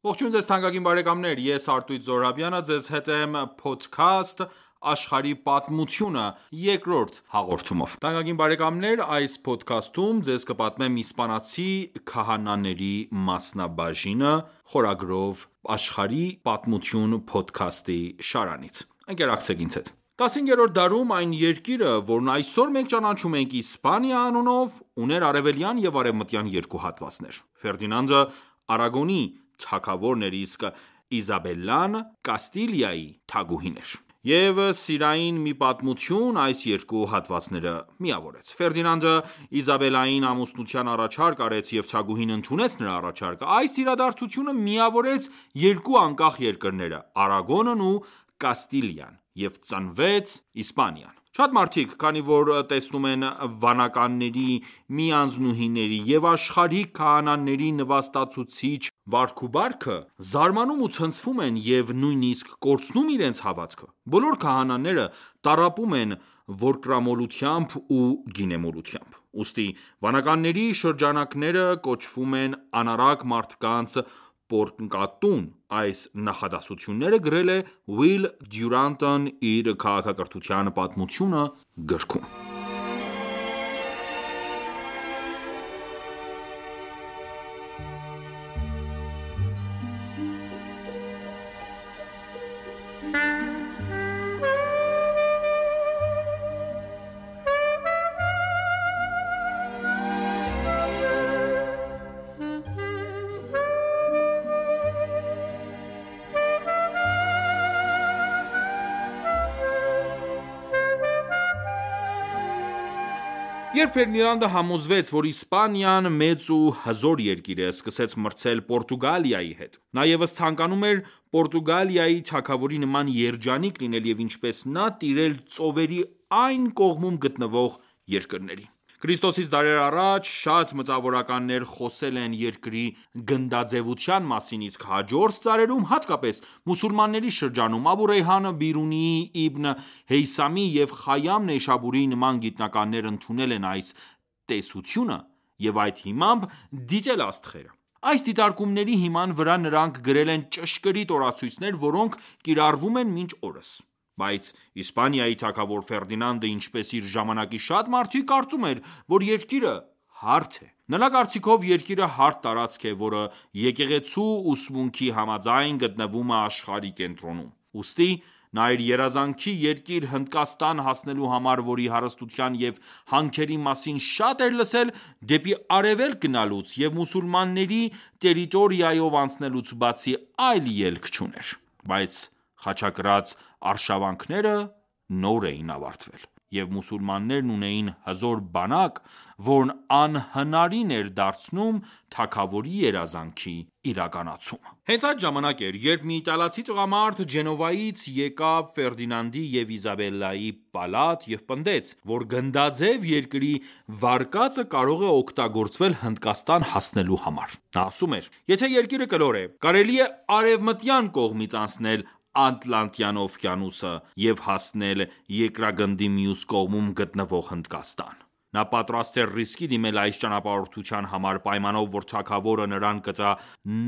Ողջույն ձեզ թանկագին բարեկամներ, ես Արտույտ Զոհրաբյանը ձեզ հետ եմ Podcast աշխարհի պատմությունը երկրորդ հաղորդումով։ Թանկագին բարեկամներ, այս podcast-ում ձեզ կպատմեմ իսպանացի քահանաների մասնաբաժինը խորագրով աշխարհի պատմություն podcast-ի շարանից։ Ընկերակցեք ինձ հետ։ 15-րդ դարում այն երկիրը, որն այսօր մենք ճանաչում ենք Իսպանիա անունով, ուներ արևելյան և արևմտյան երկու հատվածներ։ Ֆերդինանդը Արագոնի թագավորն էր, իսկ Իզաբելլան Կաստիլիայի թագուհին էր։ Եվ սիրային մի պատմություն այս երկու հատվածները միավորեց։ Ֆերդինանդը Իզաբելլային ամուսնության առաջարկ արեց և թագուհին ընդունեց նրա առաջարկը։ Այս իրադարձությունը միավորեց երկու անկախ երկրները՝ Արագոնն ու Կաստիլիան, և ծնվեց Իսպանիան։ Շատ մարդիկ, քանի որ տեսնում են վանականների, միանձնուհիների և աշխարհիկ քահանաների նվաստացուցիչ վարք ու բարքը, զարմանում ու ցնցվում են և նույնիսկ կորցնում իրենց հավատքը։ Բոլոր քահանաները տառապում են որկրամոլությամբ ու գինեմոլությամբ։ Ուստի վանականների շրջանակները կոչվում են անառակ մարդկանց պոռնկատուն։ Այս նախադասությունները գրել է Ուիլ Դյուրանտն իր «Քաղաքակրթության պատմությունը» գրքում։ Երբ Ֆերդինանդը համոզվեց, որ Իսպանիան մեծ ու հզոր երկիր է, սկսեց մրցել Պորտուգալիայի հետ։ Նա ևս ցանկանում էր Պորտուգալիայի թագավորի նման երջանիկ լինել և ինչպես նա տիրել ծովերի այն կողմում գտնվող երկրների։ Քրիստոսից դարեր առաջ շատ մտավորականներ խոսել են երկրի գնդաձեւության մասին, իսկ հաջորդ դարերում, հատկապես մուսուլմանների շրջանում, Աբու Ռեյհան Բիրունիի, Իբն Հեյսամի և Խայամ Նեյշաբուրիի նման գիտնականներ ընդունել են այս տեսությունը և այդ հիմամբ դիտել աստղերը։ Այս դիտարկումների հիման վրա նրանք գրել են ճշգրիտ օրացույցներ, որոնք կիրառվում են մինչ օրս։ Բայց Իսպանիայի թագավոր Ֆերդինանդը, ինչպես իր ժամանակի շատ մարդիկ, կարծում էր, որ երկիրը հարթ է։ Նրա կարծիքով երկիրը հարթ տարածք է, որը եկեղեցու ուսմունքի համաձայն գտնվում է աշխարհի կենտրոնում։ Ուստի նա իր երազանքի երկիր Հնդկաստան հասնելու համար, որի հարստության և հանքերի մասին շատ էր լսել, դեպի արևելք գնալուց և մուսուլմանների տերիտորիայով անցնելուց բացի այլ ելք չուներ։ Բայց խաչակրաց արշավանքները նոր էին ավարտվել, և մուսուլմաններն ունեին հզոր բանակ, որն անհնարին էր դարձնում թագավորի երազանքի իրականացումը։ Հենց այդ ժամանակ էր, երբ մի իտալացի տղամարդ Ջենովայից եկավ Ֆերդինանդի և Իզաբելլայի պալատ և պնդեց, որ գնդաձև երկրի վարկածը կարող է օգտագործվել Հնդկաստան հասնելու համար։ Նա ասում էր. «Եթե երկիրը կլոր է, կարելի է արևմտյան կողմից անցնել Ատլանտյան օվկիանոսը և հասնել երկրագնդի մյուս կողմում գտնվող Հնդկաստան»։ Նա պատրաստ էր ռիսկի դիմել այս ճանապարհորդության համար, պայմանով, որ թագավորը նրան կտա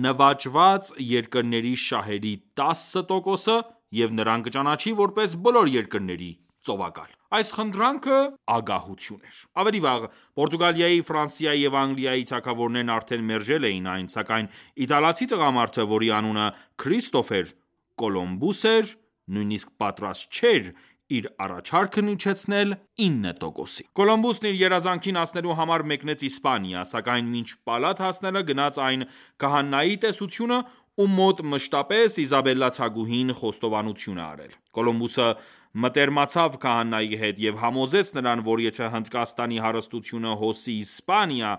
նվաճված երկրների շահերի 10% և նրան կճանաչի որպես բոլոր երկրների ծովակալ։ Այս խնդրանքը ագահություն էր։ Ավելի վաղ Պորտուգալիայի, Ֆրանսիայի և Անգլիայի թագավորներն արդեն մերժել էին այն, սակայն իտալացի տղամարդը, որի անունը Քրիստոֆեր Կոլումբուս էր, նույնիսկ պատրաստ չէր իր առաջարկն իջեցնել 9%-ի։ Կոլումբոսն իր երազանքին հասնելու համար մեկնեց Իսպանիա, սակայն մինչ պալատ հասնելը գնաց այն քահանայի տեսությունը, ում մոտ մշտապես Իզաբելլա թագուհին խոստովանություն է արել։ Կոլումբոսը մտերմացավ քահանայի հետ և համոզեց նրան, որ եթե Հնդկաստանի հարստությունը հոսի Իսպանիա,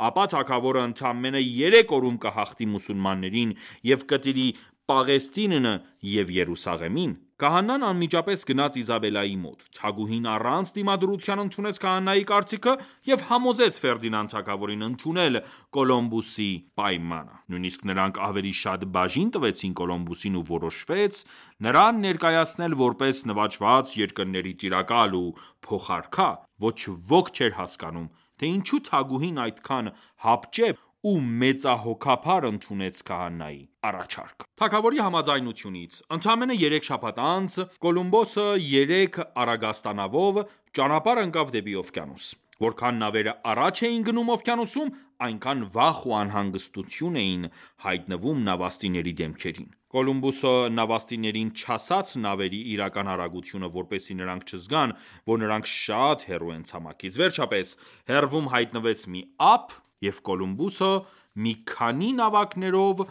ապա թագավորը ընդամենը 3 օրում կհաղթի մուսուլմաններին և կտիրի Պաղեստինն և Երուսաղեմին։ Քահանան անմիջապես գնաց Իզաբելլայի մոտ։ Թագուհին առանց դիմադրության ընդունեց քահանայի կարծիքը և համոզեց Ֆերդինանդ թագավորին ընդունել Կոլումբոսի պայմանը։ Նույնիսկ նրանք ավելի շատ բաժին տվեցին Կոլումբոսին ու որոշվեց նրան ներկայացնել որպես նվաճված երկրների տիրակալ ու փոխարքա։ Ոչ ոք չէր հասկանում, թե ինչու թագուհին այդքան հապճեպ ու մեծահոգապար ընդունեց քահանայի առաջարկը։ Թագավորի համաձայնությունից ընդամենը 3 շաբաթ անց Կոլումբոսը 3 առագաստանավով ճանապարհ ընկավ դեպի օվկիանոս։ Որքան նավերը առաջ էին գնում օվկիանոսում, այնքան վախ ու անհանգստություն էին հայտնվում նավաստիների դեմքերին։ Կոլումբոսը նավաստիներին չասաց նավերի իրական արագությունը, որպեսզի նրանք չզգան, որ նրանք շատ հեռու են ցամաքից։ Վերջապես հեռվում հայտնվեց մի ափ, և Կոլումբոսը մի քանի նավակներով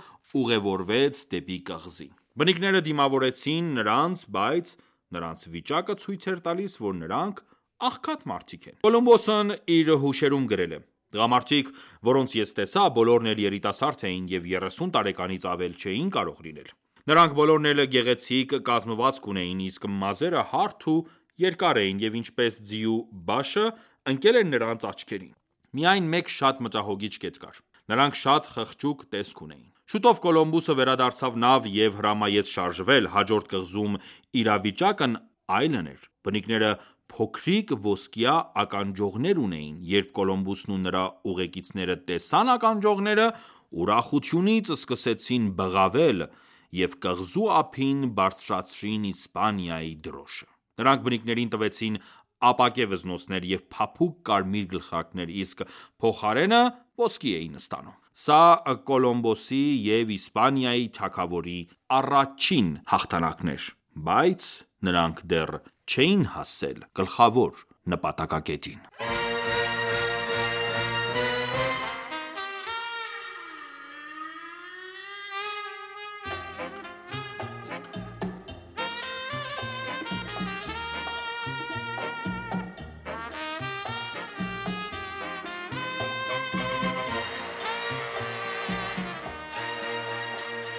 ուղևորվեց դեպի կղզի։ Բնիկները դիմավորեցին նրանց, բայց նրանց վիճակը ցույց էր տալիս, որ նրանք աղքատ մարդիկ են։ Կոլումբոսն իր հուշերում գրել է. «Տղամարդիկ, որոնց ես տեսա, բոլորն էլ երիտասարդ էին և 30 տարեկանից ավել չէին կարող լինել։ Նրանք բոլորն էլ գեղեցիկ կազմվածք ունեին, իսկ մազերը հարթ ու երկար էին, և ինչպես ձիու բաշը, ընկել էր նրանց աչքերին։ Միայն մեկ շատ մտահոգիչ կետ կար. նրանք շատ խղճուկ տեսք ունեին»։ Շուտով Կոլումբոսը վերադարձավ նավ և հրամայեց շարժվել։ Հաջորդ կղզում իրավիճակն այլն էր։ Բնիկները փոքրիկ ոսկյա ականջողներ ունեին։ Երբ Կոլումբոսն ու նրա ուղեկիցները տեսան ականջողները, ուրախությունից սկսեցին բղավել և կղզու ափին բարձրացրին Իսպանիայի դրոշը։ Նրանք բնիկներին տվեցին ապակե վզնոցներ և փափուկ կարմիր գլխարկներ, իսկ փոխարենը ոսկի էին ստանում։ Սա Կոլումբոսի և Իսպանիայի թագավորի առաջին հաղթանակն էր, բայց նրանք դեռ չէին հասել գլխավոր նպատակակետին։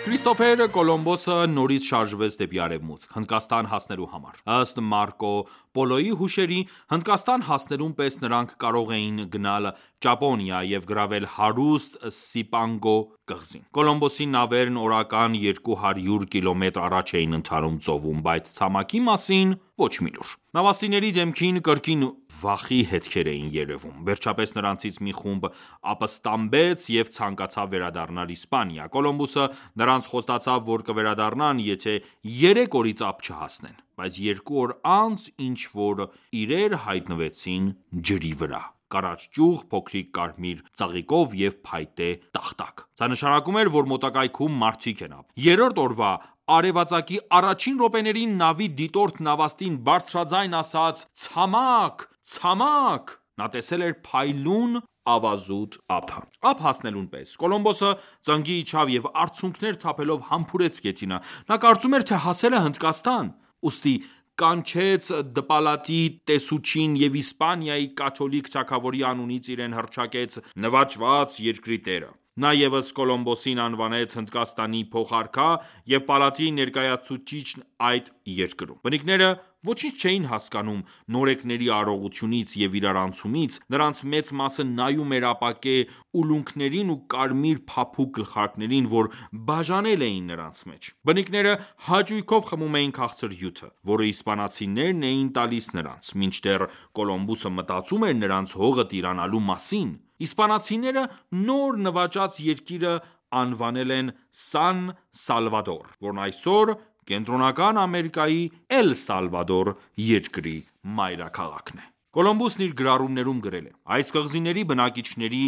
Քրիստոֆեր Կոլումբոսը նորից շարժվեց դեպի արևմուտք՝ Հնդկաստան հասնելու համար։ Ըստ Մարկո Պոլոյի հուշերի, Հնդկաստան հասնելուն պես նրանք կարող էին գնալ Ճապոնիա և գրավել հարուստ Սիպանգո կղզին։ Կոլումբոսի նավերն օրական 200 կիլոմետր առաջ էին ընթանում ծովում, բայց ցամաքի մասին ոչ մի լուր։ Նավաստիների դեմքին կրկին վախի հետքեր էին երևում։ Վերջապես նրանցից մի խումբ ապստամբեց և ցանկացավ վերադառնալ Իսպանիա։ Կոլումբոսը նրանց խոստացավ, որ կվերադառնան, եթե 3 օրից ափ չհասնեն։ Բայց 2 օր անց ինչ-որ իրեր հայտնվեցին ջրի վրա՝ կարճ ճյուղ, փոքրիկ կարմիր ծաղիկով և փայտե տախտակ։ Սա նշանակում էր, որ մոտակայքում մարդիկ են ապրում։ Երրորդ օրվա արևածագի առաջին րոպեներին նավի դիտորդ նավաստին բարձրաձայն ասաց. «Ցամաք, ցամաք»։ Նա տեսել էր փայլուն ավազուտ ափը։ Ափ հասնելուն պես Կոլումբոսը ծնկի իջավ և արցունքներ թափելով համբուրեց գեթինը։ Նա կարծում էր, թե հասել է Հնդկաստան։ Ուստի կանչեց դպալատի տեսուչին և Իսպանիայի կաթոլիկ թագավորի անունից իրեն հռչակեց նվաճված երկրի տերը։ Նա ևս Կոլումբոսին անվանեց Հնդկաստանի փոխարքա և պալատի ներկայացուցիչն այդ երկրում։ Բնիկները ոչինչ չէին հասկանում նորեկների արարողությունից և իրարանցումից, նրանց մեծ մասը նայում էր ապակե ուլունքներին ու կարմիր փափուկ գլխարկներին, որ բաժանել էին նրանց մեջ։ Բնիկները հաճույքով խմում էին քաղցր հյութը, որը իսպանացիներն էին տալիս նրանց, մինչդեռ Կոլումբոսը մտածում էր նրանց հողը տիրանալու մասին։ Իսպանացիները նոր նվաճած երկիրը անվանել են Սան Սալվադոր, որն այսօր Կենտրոնական Ամերիկայի Էլ Սալվադոր երկրի մայրաքաղաքն է։ Կոլումբոսն իր գրառումներում գրել է. «Այս կղզիների բնակիչների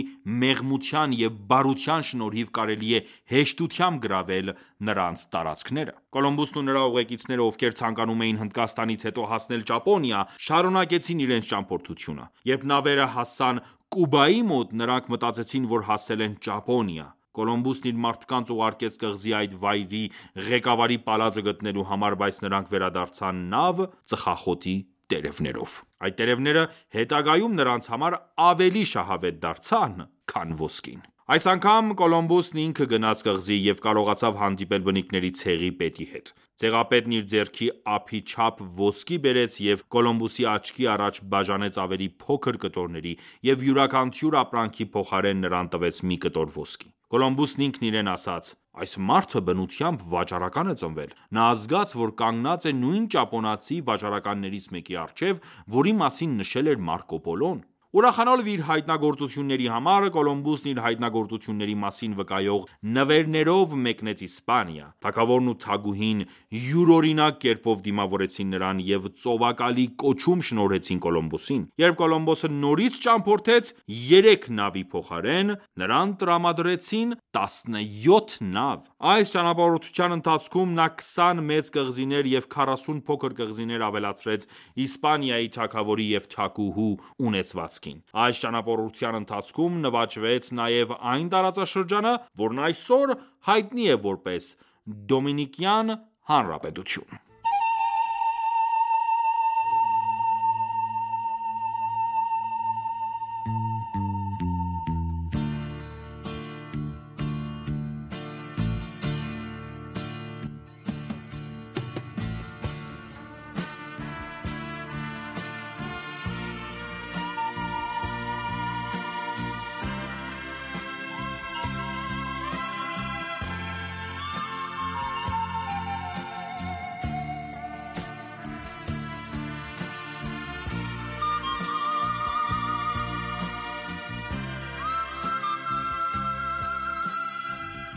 մեղմության և բարության շնորհիվ կարելի է հեշտությամբ գրավել նրանց տարածքները»։ Կոլումբոսն ու նրա ուղեկիցները, ովքեր ցանկանում էին Հնդկաստանից հետո հասնել Ճապոնիա, շարունակեցին իրենց ճամփորդությունը։ Երբ նավերը հասան Կուբայի մոտ, նրանք մտածեցին, որ հասել են Ճապոնիա։ Կոլումբոսն իր մարդկանց ուղարկեց կղզի այդ վայրի ղեկավարի պալատը գտնելու համար, բայց նրանք վերադարձան նավ ծխախոտի տերևներով։ Այդ տերևները հետագայում նրանց համար ավելի շահավետ դարձան, քան ոսկին։ Այս անգամ Կոլումբոսն ինքը գնաց կղզի և կարողացավ հանդիպել բնիկների ցեղի պետի հետ։ Ցեղապետն իր ձեռքի ափի չափ ոսկի բերեց և Կոլումբոսի աչքի առաջ բաժանեց ավելի փոքր կտորների և յուրաքանչյուր ապրանքի փոխարեն նրան տվեց մի կտոր ոսկի։ Կոլումբոսն ինքն իրեն ասաց. «Այս մարդը բնությամբ վաճառական է ծնվել»։ Նա զգաց, որ կանգնած է նույն ճապոնացի վաճառականներից մեկի առջև, որի մասին նշել էր Մարկո Պոլոն։ Ուրախանալով իր հայտնագործությունների համար, Կոլումբոսն իր հայտնագործությունների մասին վկայող նվերներով մեկնեց Իսպանիա։ Թագավորն ու թագուհին յուրօրինակ կերպով դիմավորեցին նրան և ծովակալի կոչում շնորհեցին Կոլումբոսին։ Երբ Կոլումբոսը նորից ճամփորդեց 3 նավի փոխարեն, նրան տրամադրեցին 17 նավ։ Այս ճանապարհորդության ընթացքում նա 20 մեծ կղզիներ և 40 փոքր կղզիներ ավելացրեց Իսպանիայի թագավորի և թագուհու ունեցվածքին։ Այս ճանապարհորդության ընթացքում նվաճվեց նաև այն տարածաշրջանը, որն այսօր հայտնի է որպես Դոմինիկյան Հանրապետություն։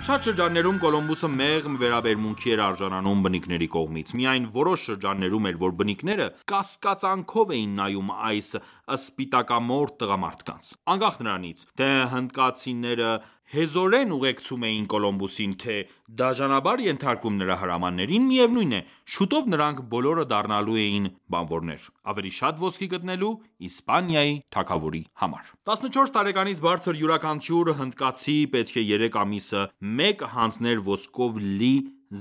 Շատ շրջաններում Կոլումբոսը մեղմ վերաբերմունքի էր արժանանում բնիկների կողմից։ Միայն որոշ շրջաններում էր, որ բնիկները կասկածանքով էին նայում այս սպիտակամորթ տղամարդկանց։ Անկախ նրանից, թե հնդկացիները հեզորեն ուղեկցում էին Կոլումբոսին, թե դաժանաբար ենթարկվում նրա հրամաններին, միևնույն է, շուտով նրանք բոլորը դառնալու էին բանվորներ՝ ավելի շատ ոսկի գտնելու Իսպանիայի թագավորի համար։ 14 տարեկանից բարձր յուրաքանչյուր հնդկացի պետք է 3 ամիսը մեկ հանձներ ոսկով լի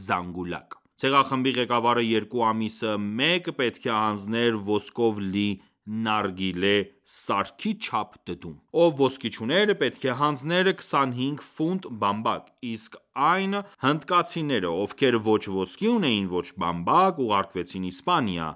զանգուլակ։ Ցեղախմբի ղեկավարը 2 ամիսը մեկ պետք է հանձներ ոսկով լի նարգիլե սարքի չափ դդում։ Ով ոսկի չուներ, պետք է հանձներ 25 ֆունտ բամբակ, իսկ այն հնդկացիները, ովքեր ոչ ոսկի ունեին, ոչ բամբակ, ուղարկվեցին Իսպանիա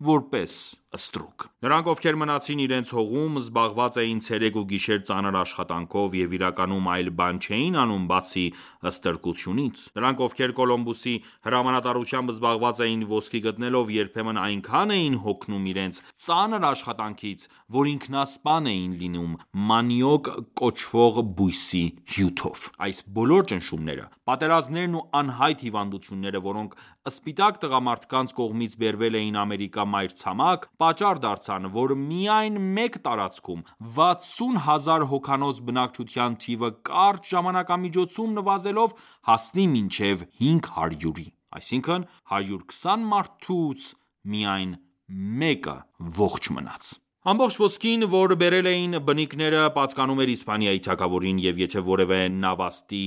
որպես ստրուկ։ Նրանք, ովքեր մնացին իրենց հողում, զբաղված էին ցերեկ ու գիշեր ծանր աշխատանքով և իրականում այլ բան չէին անում բացի ստրկությունից։ Նրանք, ովքեր Կոլումբոսի հրամանատարությամբ զբաղված էին ոսկի գտնելով, երբեմն այնքան էին հոգնում իրենց ծանր աշխատանքից, որ ինքնասպան էին լինում մանիոկ կոչվող բույսի հյութով։ Այս բոլոր ճնշումները, պատերազմներն ու անհայտ հիվանդությունները, որոնք սպիտակ տղամարդկանց կողմից բերվել էին Ամերիկա մայրցամաք, պատճառ դարձան, որ միայն մեկ տարածքում 60,000 հոգանոց բնակչության թիվը կարճ ժամանակամիջոցում նվազելով հասնի մինչև 500-ի, այսինքն 120 մարդուց միայն մեկը ողջ մնաց։ Ամբողջ ոսկին, որ բերել էին բնիկները, պատկանում էր Իսպանիայի թագավորին, և եթե որևէ նավաստի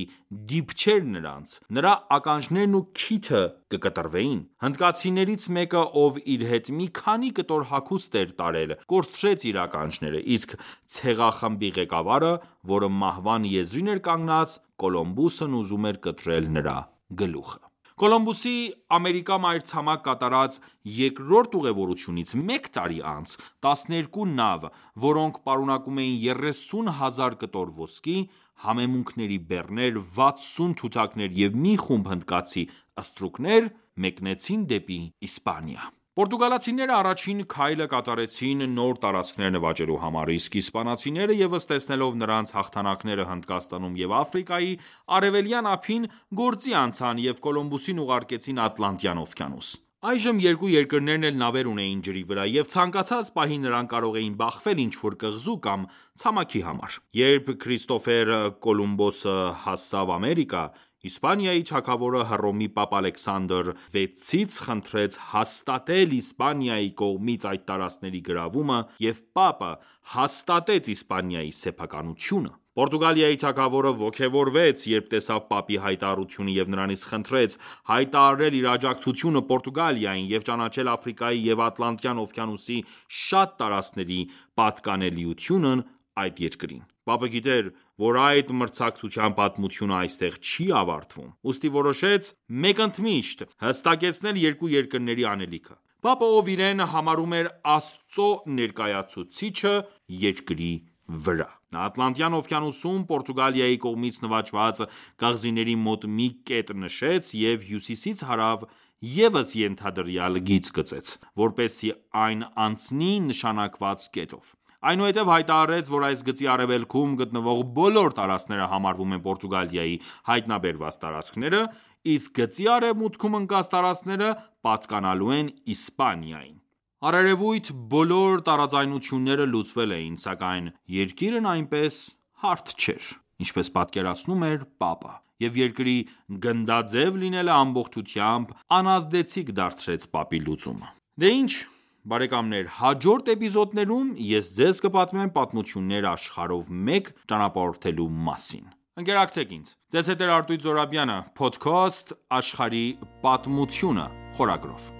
դիպչեր նրանց, նրա ականջներն ու քիթը կկտրվեին։ Հնդկացիներից մեկը, ով իր հետ մի քանի կտոր հագուստ էր տարել, կորցրեց իր ականջները, իսկ ցեղախմբի ղեկավարը, որը մահվան եզրին էր կանգնած, Կոլումբոսն ուզում էր կտրել նրա գլուխը։ Կոլումբոսի Ամերիկա մայրցամաք կատարած երկրորդ ուղևորությունից մեկ տարի անց 12 նավ, որոնք պարունակում էին 30,000 կտոր ոսկի, համեմունքների բեռներ, 60 թութակներ և մի խումբ հնդկացի ստրուկներ մեկնեցին դեպի Իսպանիա։ Պորտուգալացիները առաջին քայլը կատարեցին նոր տարածքներ նվաճելու համար, իսկ իսպանացիները ևս տեսնելով նրանց հաղթանակները Հնդկաստանում և Աֆրիկայի արևելյան ափին, գործի անցան և Կոլումբոսին ուղարկեցին Ատլանտյան օվկիանոս։ Այժմ երկու երկրներն էլ նավեր ունեին ջրի վրա, և ցանկացած պահի նրանք կարող էին բախվել ինչ-որ կղզու կամ ցամաքի համար։ Երբ Քրիստոֆեր Կոլումբոսը հասավ Ամերիկա, Իսպանիայի թագավորը Հռոմի Պապ Ալեքսանդր VI-ից խնդրեց հաստատել Իսպանիայի կողմից այդ տարածքների գրավումը, և Պապը հաստատեց Իսպանիայի սեփականությունը։ Պորտուգալիայի թագավորը ոգևորվեց, երբ տեսավ Պապի հայտարարությունը և նրանից խնդրեց հայտարարել իր աջակցությունը Պորտուգալիային և ճանաչել Աֆրիկայի և Ատլանտյան օվկիանոսի շատ տարածքների պատկանելիությունն այդ երկրին։ Պապը գիտեր, որ այդ մրցակցության պատմությունը այստեղ չի ավարտվում, ուստի որոշեց մեկընդմիշտ հստակեցնել երկու երկրների անելիքը։ Պապը, ով իրեն համարում էր Աստծո ներկայացուցիչը երկրի վրա, նա Ատլանտյան օվկիանոսում Պորտուգալիայի կողմից նվաճված կղզիների մոտ մի կետ նշեց և հյուսիսից հարավ ևս ենթադրյալ գիծ գծեց, որպեսզի այն անցնի նշանակված կետով։ Այնուհետև հայտարարեց, որ այս գծի արևելքում գտնվող բոլոր տարածքները համարվում են Պորտուգալիայի հայտնաբերված տարածքները, իսկ գծի արևմուտքում ընկած տարածքները պատկանալու են Իսպանիային։ Առերևույթ բոլոր տարաձայնությունները լուծվել էին, սակայն երկիրն այնպես հարթ չէր, ինչպես պատկերացնում էր Պապը, և երկրի գնդաձև լինելը ամբողջությամբ անազդեցիկ դարձրեց Պապի լուծումը։ Դե ինչ բարեկամներ, հաջորդ էպիզոդներում ես ձեզ կպատմեմ պատմություններ աշխարհով մեկ ճանապարհորդելու մասին։ Ընկերակցեք ինձ։ Ձեզ հետ է Արտույտ Զոհրաբյանը, Podcast Աշխարհի պատմությունը խորագրով։